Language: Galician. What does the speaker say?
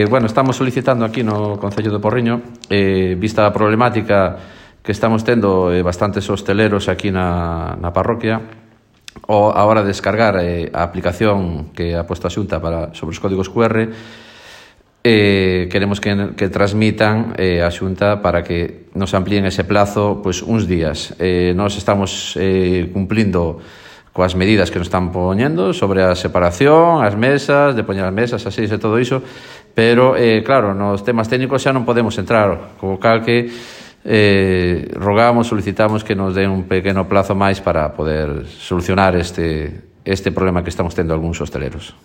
Bueno, estamos solicitando aquí no Concello de Porriño, vista a problemática que estamos tendo bastantes hosteleros aquí na parroquia, a hora de descargar a aplicación que ha posto a Xunta sobre os códigos QR, queremos que transmitan a Xunta para que nos amplíen ese plazo uns días. Nós estamos cumplindo coas medidas que nos están poñendo sobre a separación, as mesas, de poñer as mesas, así e todo iso, pero, claro, nos temas técnicos xa non podemos entrar, co cal que rogamos, solicitamos que nos den un pequeno plazo máis para poder solucionar este problema que estamos tendo algúns hosteleros.